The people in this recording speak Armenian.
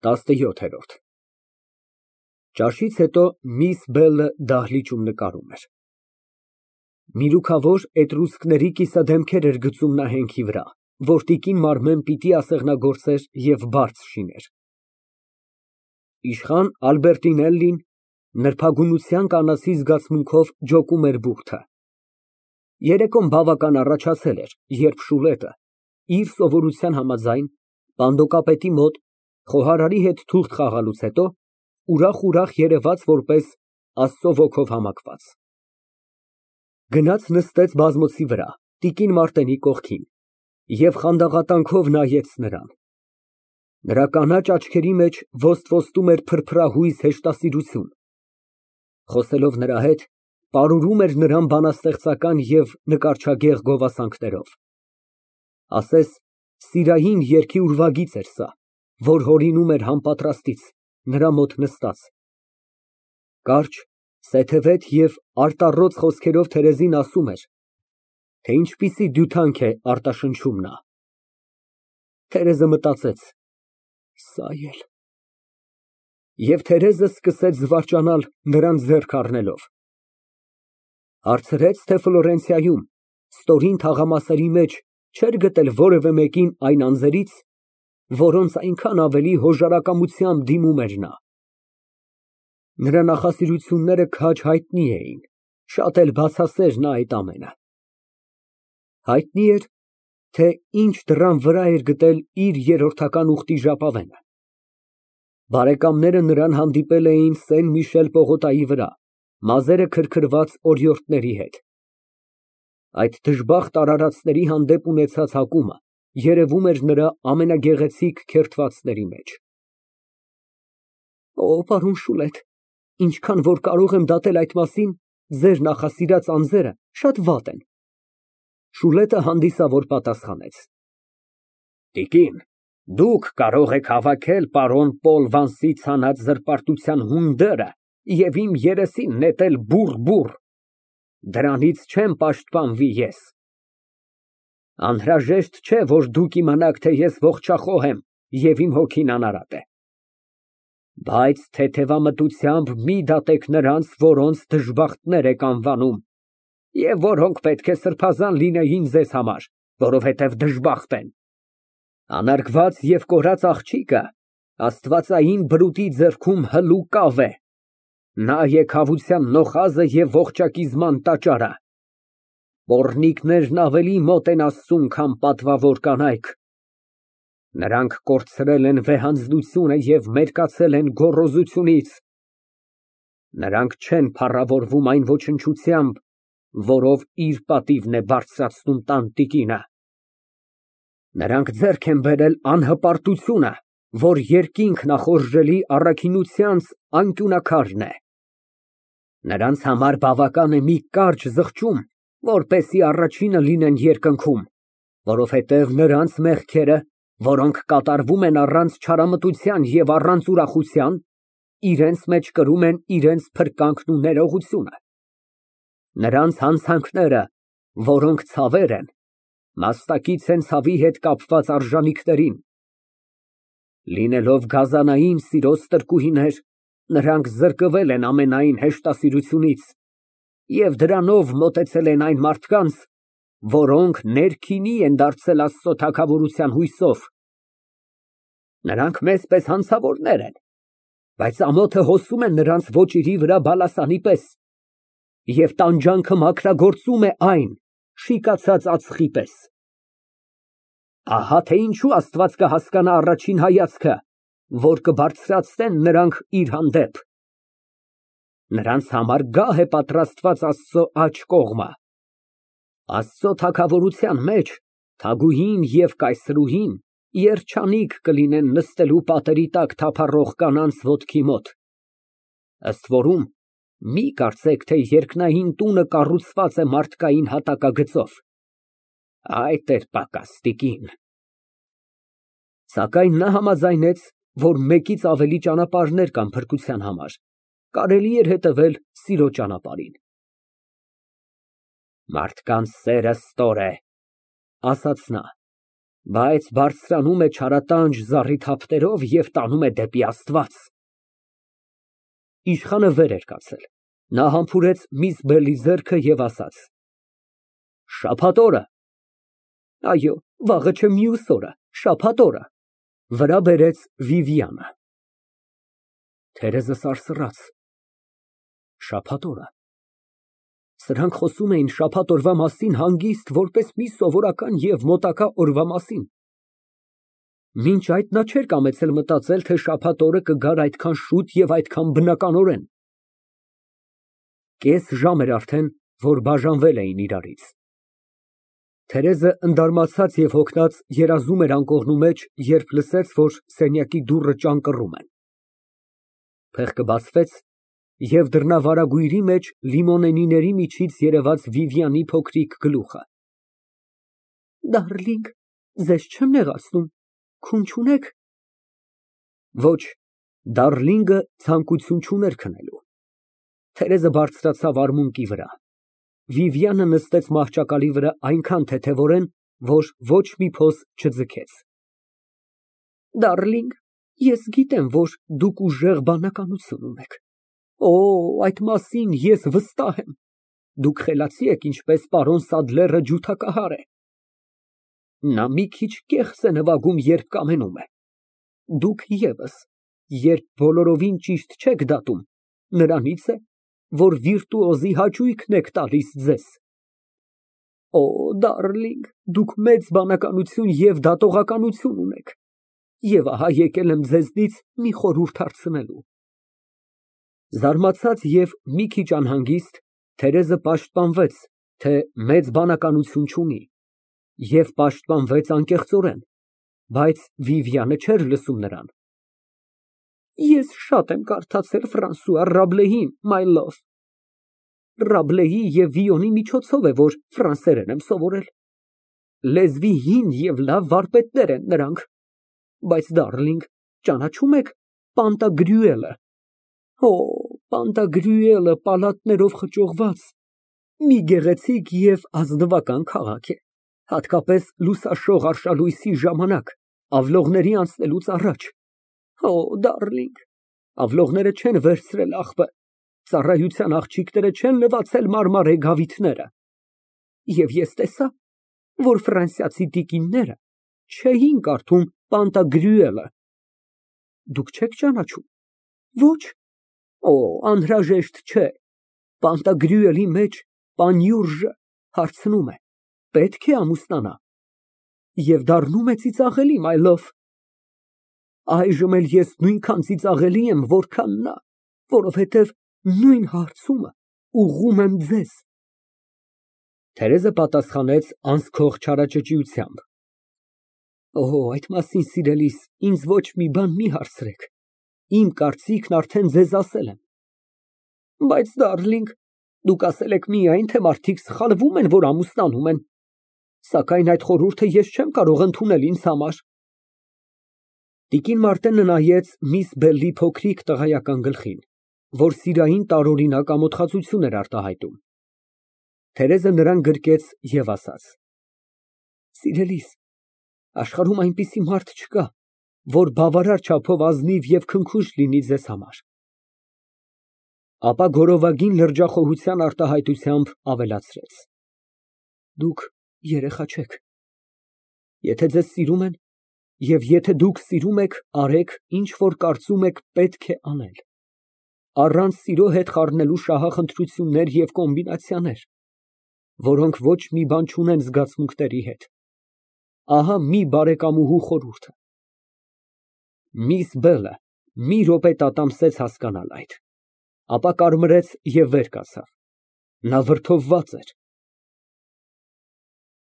17 Ճաշից հետո միս Բելը դահլիճում նկարում էր։ Միրուքավոր էտրուսկների կիսադեմքեր էր գծում նա հենքի վրա, որ տիկին Մարմեն պիտի ասեղնագործեր և բաց շիներ։ Իշխան Ալբերտինելլին նրբագունության կանացի զգացմունքով ջոկում էր բուրդը։ Երեկոն բավական առաջացել էր, երբ Շուլետը, իր սովորության համաձայն, պանդոկապետի մոտ խոհարարի հետ թուղթ խաղալուց հետո, ուրախ երևաց որպես Աստծո ոգով համակված։ Գնաց նստեց բազմոցի վրա, տիկին Մարտենի կողքին և խանդաղատանքով նայեց նրան։ Նրա կանաչ աչքերի մեջ ոստվոստում էր փրփրահույզ հեշտասիրություն։ Խոսելով նրա հետ, պարուրում էր նրան բանաստեղծական և նկարչագեղ գովասանքներով։ Ասես սիրային երգի ուրվագիծ էր սա, որ հորինում էր համապատրաստից, նրա մոտ նստած։ Կարճ, սեթևետ և արտառոց խոսքերով Թերեզին ասում էր, թե ինչպիսի դյութանք է արտաշնչում նա։ Թերեզը մտածեց. «Սա էլ»… Եվ Թերեզը սկսեց զվարճանալ, նրան ձեռք առնելով։ Հարցրեց, թե Ֆլորենցիայում, ստորին թաղամասերի մեջ չէր գտել որևէ մեկին այն անձերից, որոնց այնքան ավելի հոժարակամությամբ դիմում էր նա։ Նրա նախասիրությունները քաջ հայտնի էին, շատ էլ բացասեր նա այդ ամենը։ Հայտնի էր, թե ինչ դռան վրա էր գտել իր երրորդական ուխտի ժապավենը։ Բարեկամները նրան հանդիպել էին Սեն֊Միշել պողոտայի վրա, մազերը քրքրված օրիորդների հետ։ Այդ դժբախտ արարածների հանդեպ ունեցած հակումը երևում էր նրա ամենագեղեցիկ քերթվածների մեջ։ Օ, պարոն Շուլետ, ինչքան որ կարող եմ դատել այդ մասին, ձեր նախասիրած անձերը շատ վատ են։ Շուլետը հանդիսավոր պատասխանեց. Տիկին, դուք կարող եք հավաքել պարոն Պոլ Վանսի ցանած զրպարտության հունդերը և իմ երեսին նետել բուռ, դրանից չեմ պաշտպանվի ես։ Անհրաժեշտ չէ, որ դուք իմանաք, թե ես ողջախոհ եմ և իմ հոգին անարատ է։ Բայց թեթևամտությամբ մի դատեք նրանց, որոնց դժբախտներ եք անվանում, և որոնք պետք է սրբազան լինեին ձեզ համար, որովհետև դժբախտ են։ Անարգված և կորած աղջիկը աստվածային բրուտի ձեռքում հլու կավ է։ Նա է քավության նոխազը և ողջակիզման տաճարը։ Պոռնիկներն ավելի մոտ են Աստծուն, քան պատվավոր կանայք։ Նրանք կորցրել են վեհանձնությունը և մերկացել են գոռոզությունից։ Նրանք չեն փառավորվում այն ոչնչությամբ, որով իր պատիվն է բարձրացնում տանտիկինը։ Նրանք ձեռք են բերել անհպարտությունը, որ երկինք նախորժելի առաքինությանց անկյունաքարն է։ Նրանց համար բավական է մի կարճ զղջում, որպեսզի առաջինը լինեն երկնքում, որովհետև նրանց մեղքերը, որոնք կատարվում են առանց չարամտության և առանց ուրախության, իրենց մեջ կրում են իրենց փրկանքն ու ներողությունը։ Նրանց հանցանքները, որոնք ցավեր են, մաստակից են ցավի հետ կապված արժանիքներին։ Լինելով գազանային սիրո ստրկուհիներ, նրանք զրկվել են ամենայն հեշտասիրությունից և դրանով մոտեցել են այն մարդկանց, որոնք ներքինի են դարձել Աստծո թագավորության հույսով։ Նրանք մեզ պես հանցավորներ են, բայց ամոթը հոսում է նրանց ոճիրի վրա բալասանի պես, և տանջանքը մաքրագործում է այն շիկացած ածխի պես։ Ահա թե ինչու Աստված կհասկանա առաջին հայացքը, որ կբարձրացնեն նրանք իր հանդեպ։ Նրանց համար գահ է պատրաստված Աստծո աջ կողմը։ Աստծո թագավորության մեջ թագուհին և կայսրուհին երջանիկ կլինեն նստելու պատերի տակ թափառող կանանց ոտքի մոտ։ Ըստ որում, մի կարծեք, թե երկնային տունը կառուցված է մարդկային հատակագծով։ Այդ էր պակաս, տիկին։ Սակայն նա համաձայնեց, որ մեկից ավելի ճանապարհներ կան փրկության համար, կարելի էր հետևել սիրո ճանապարհին։ Մարդկանց սերը ստոր է, ասաց նա, Բայց բարձրանում է չարատանջ զառիթափներով և տանում է դեպի Աստված։ Իշխանը վեր էր կացել, նա համբուրեց միս Բելի ձեռքը և ասաց. Շաբաթ օրը։ Այո, վաղը չէ մյուս օրը, շաբաթ օրը, վրա բերեց Վիվիանը։ Թերեզը սարսռաց։ Շաբաթ օրը։ Սրանք խոսում էին շաբաթ օրվա մասին հանգիստ, որպես մի սովորական և մոտակա օրվա մասին։ Մինչ այդ նա չէր կամեցել մտածել, թե շաբաթ օրը կգար այդքան շուտ և այդքան բնականորեն։ Կես ժամ էր արդեն, որ բաժանվել էին իրարից։ Թերեզը ընդարմացած և հոգնած երազում էր անկողնու մեջ, երբ լսեց, որ սենյակի դուռը ճանկռում են։ Փեղկը բացվեց, և դռնավարագույրի մեջ լիմոնենիների միջից երևաց Վիվիանի փոքրիկ գլուխը։ Դարլինգ, ձեզ չեմ նեղացնում, քուն չունե՞ք։ Ոչ, դարլինգը ցանկություն չուներ քնելու։ Թերեզը բարձրացավ արմունկի վրա։ Վիվիանը նստեց մահճակալի վրա այնքան թեթևորեն, որ ոչ մի փոս չձգեց։ Դարլինգ, ես գիտեմ, որ դուք ուժեղ բանականություն ունեք։ Օ, այդ մասին ես վստահ եմ։ Դուք խելացի եք, ինչպես պարոն Սադլերը ջութակահար է։ Նա մի քիչ կեղծ է նվագում, երբ կամենում է։ Դուք ևս, երբ բոլորովին ճիշտ չեք դատում, նրանից է, որ վիրտուոզի հաճույքն եք տալիս ձեզ։ Օ, դարլինգ, դուք մեծ բանականություն և դատողականություն ունեք։ Եվ ահա եկել եմ ձեզնից մի խորհուրդ հարցնելու։ Զարմացած և մի քիչ անհանգիստ, Թերեզը պաշտպանվեց, թե մեծ բանականություն չունի, և պաշտպանվեց անկեղծորեն, բայց Վիվիանը չէր լսում նրան։ Ես շատ եմ կարդացել Ֆրանսուଆ Ռաբլեին, my love։ Ռաբլեի և Վիոնի միջոցով է, որ ֆրանսերեն եմ սովորել։ Լեզվի հին և լավ վարպետներ են նրանք։ Բայց, դարլինգ, ճանաչո՞ւմ եք Պանտագրյուելը։ Օ, Պանտագրյուելը պալատներով խճողված մի գեղեցիկ և ազնվական քաղաք է, հատկապես լուսաշող արշալույսի ժամանակ, ավլողների անցնելուց առաջ։ Օ, դարլինգ, ավլողները չեն վերցրել աղբը, ծառայության աղջիկները չեն լվացել մարմարե գավիթները։ Եվ ես տեսա, որ ֆրանսիացի տիկինները չէին կարդում Պանտագրյուելը։ Դուք չեք ճանաչում։ Ոչ։ Օ, անհրաժեշտ չէ։ Պանտագրյուելի մեջ պանյուրժը հարցնում է. պետք է ամուսնանա։ Եվ դառնում է ծիծաղելի, my love։ Այժմ էլ ես նույնքան ծիծաղելի եմ, որքան նա, որովհետև նույն հարցումը ուղղում եմ ձեզ։ Թերեզը պատասխանեց անսքող չարաճճիությամբ։ Օ, այդ մասին, սիրելիս, ինձ ոչ մի բան մի հարցրեք։ Իմ կարծիքն արդեն ձեզ ասել եմ։ Բայց, դարլինգ, դուք ասել եք միայն, թե մարդիկ սխալվում են, որ ամուսնանում են։ Սակայն այդ խորհուրդը ես չեմ կարող ընդունել ինձ համար։ Տիկին Մարտենը նայեց միս Բելի փոքրիկ տղայական գլխին, որ սիրային տարօրինակ ամոթխածություն էր արտահայտում։ Թերեզը նրան գրկեց և ասաց. Սիրելիս, աշխարհում այնպիսի մարդ չկա, որ բավարար չափով ազնիվ և քնքուշ լինի ձեզ համար։ Ապա գորովագին լրջախոհության արտահայտությամբ ավելացրեց. Դուք երեխա չեք։ Եթե ձեզ սիրում են, և եթե դուք սիրում եք, արեք, ինչ որ կարծում եք պետք է անել, առանց սիրո հետ խառնելու շահախնդրություններ և կոմբինացիաներ, որոնք ոչ մի բան չունեն զգացմունքների հետ։ Ահա մի բարեկամուհու խորհուրդը։ Միս Բելը մի րոպե տատամսեց հասկանալ այդ, ապա կարմրեց և վեր կացավ։ Նա վրդովված էր,